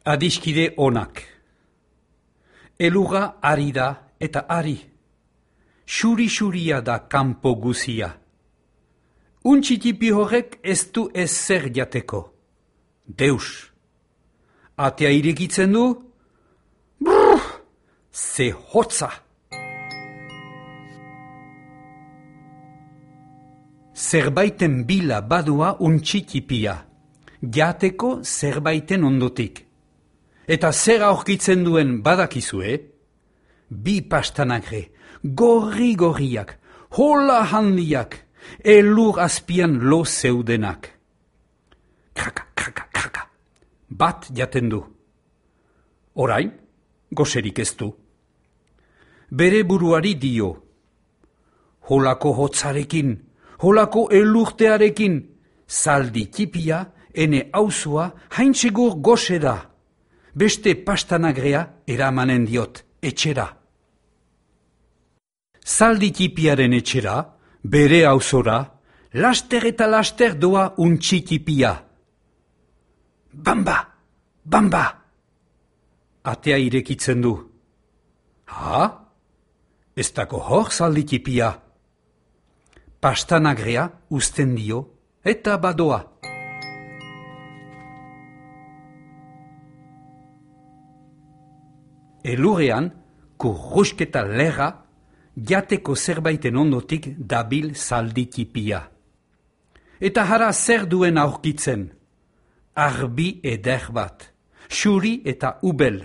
Adiskide onak. Elurra ari da eta ari. Xuri-xuria da kanpo guzia. Untxitipi horrek ez du ezer jateko. Deus. Atea irekitzen du? Brrr! Ze hotza! Zerbaiten bila badua untxitipia. Jateko zerbaiten ondotik. Eta zer aurkitzen duen badakizue? Bi pastanagre, gorri-gorriak, hola handiak, elur azpian lo zeudenak. Kraka, kraka, kraka. Bat jaten du. Orain, goserik ez du. Bere buruari dio. Holako hotzarekin, holako elurtearekin, zaldi tipia, ene auzua, haintsegur goxe da. Beste pastanagrea eramanen diot, etxera. Zaldi tipiaren etxera, bere auzora, laster eta laster doa untxi tipia. Bamba, bamba! Atea irekitzen du. Ha? Ez dako hor zaldi tipia. Pastanagrea uzten dio eta badoa. Elurrean, kurrusketa lerra, jateko zerbaiten ondotik dabil zaldi tipia. Eta hara zer duen aurkitzen? Arbi eder bat, xuri eta ubel.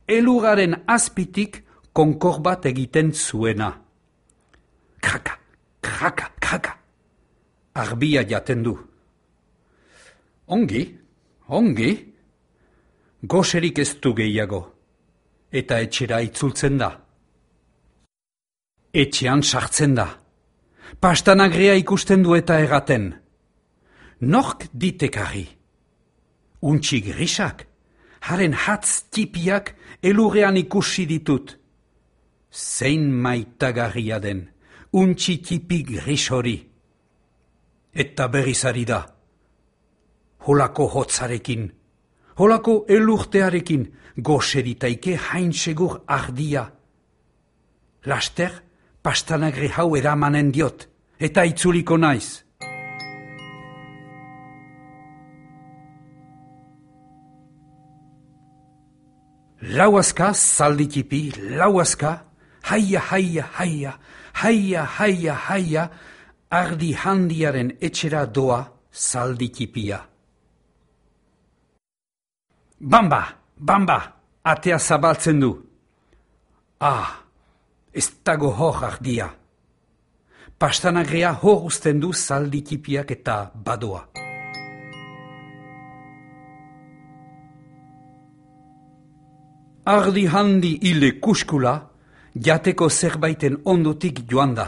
Elurraren azpitik konkor bat egiten zuena. Kraka, kraka, kraka. Arbia jaten du. Ongi, ongi. Goserik ez du gehiago. Eta etxera itzultzen da. Etxean sartzen da. Pastanagrea ikusten du eta erraten. Nork ditekarri? Untxi grisak, haren hatz tipiak elurrean ikusi ditut. Zein maitagarria den, untxi tipi gris hori. Eta berrizari da. Holako hotzarekin, holako elurtearekin, goseritaike hain segur ardia. Laster, pastanagre hau eramanen diot, eta itzuliko naiz. Lauazka zalditipi, lauazka, haia, haia, haia, haia, haia, haia, ardi handiaren etxera doa zalditipia. Bamba, bamba, atea zabaltzen du. Ah, ez dago hor ardia. Pastanagrea hor uzten du zalditipiak eta badoa. Ardi handi hile kuskula, jateko zerbaiten ondotik joan da.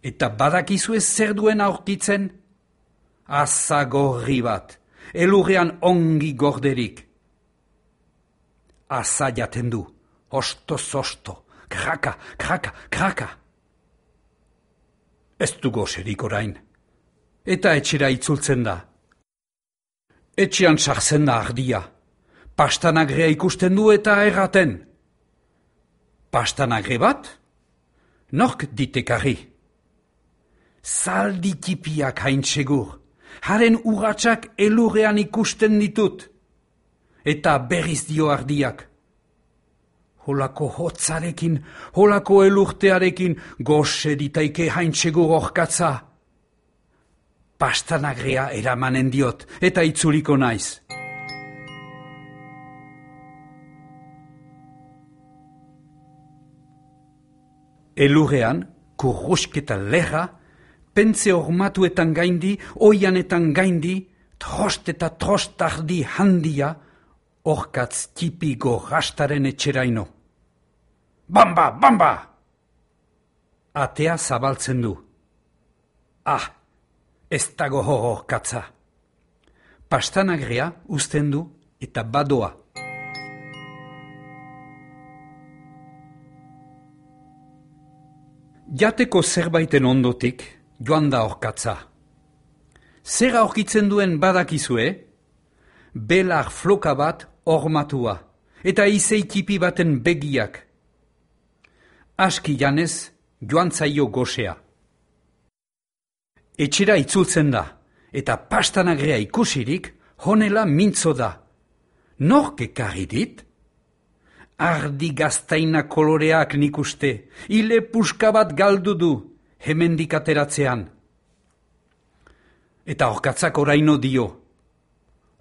Eta badakizue zer duen aurkitzen? Asa gorri bat, elurrean ongi gorderik. Asa jaten du, osto-zosto, kraka, kraka, kraka. Ez du goserik orain, eta etxera itzultzen da. Etxean sartzen da ardia, pastanagrea ikusten du eta erraten. Pastanagre bat? Nork ditekarri? Zaldi tipiak hain segur, haren urratsak elurrean ikusten ditut. Eta berriz dio ardiak. Holako hotzarekin, holako elurtearekin, goxe ditaike hain segur orkatza. Pastanagrea eramanen diot, eta itzuliko naiz. Elurrean, kurrusketa lerra, pentze ormatuetan gaindi, oianetan gaindi, trost eta trost ardi handia, orkatz tipi gorrastaren etxeraino. Bamba, bamba! Atea zabaltzen du. Ah, ez dago hor orkatza. Pastanagrea uzten du eta badoa. Jateko zerbaiten ondotik joan da orkatza. Zer aurkitzen duen badakizue? belar floka bat ormatua, eta izeikipi baten begiak. Aski janez, joan zaio gosea. Etxera itzultzen da, eta pastanagrea ikusirik, honela mintzo da. Nork ekarri dit? Ardi gaztaina koloreak nik uste, ile puska bat galdu du, hemendik ateratzean. Eta orkatzak oraino dio.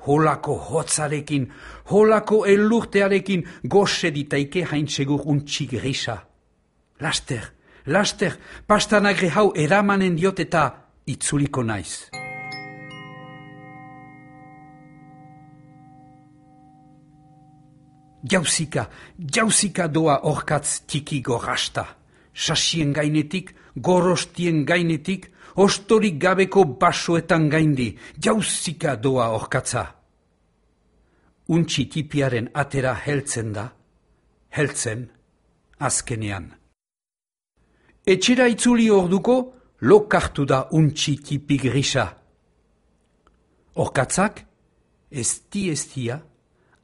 Holako hotzarekin, holako elurtearekin, gose ditaike haintsegur untxi grisa. Laster, laster, pastanagre hau eramanen diot eta itzuliko naiz. Jauzika doa orkatz tiki gorrasta. Sasien gainetik, gorostien gainetik, ostorik gabeko basoetan gaindi. Jauzika doa orkatza. Untxi tipiaren atera heltzen da, heltzen azkenean. Etxera itzuli orduko, lokartu da untxi tipi grisa. Orkatzak, eztia,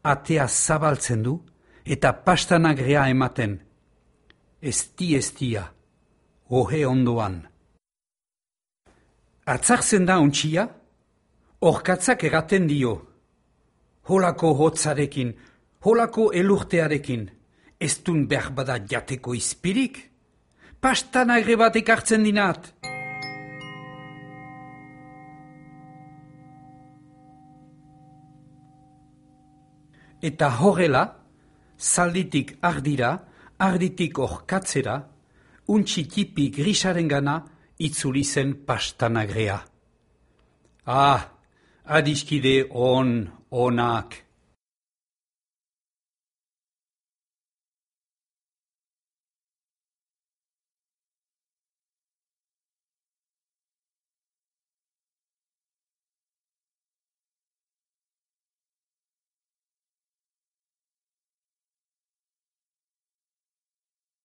atea zabaltzen du eta pastanagrea ematen. Eztia, ohe ondoan. Atzartzen da untxia, orkatzak eraten dio. Holako hotzarekin, holako elurtearekin, ez dun berbada jateko izpirik? Pastanagre bat ekartzen dinat. Eta horrela, zalditik ardira, arditik orkatzera, untxi tipi grisaren gana itzuli zen pastanagrea. Adiskide onak.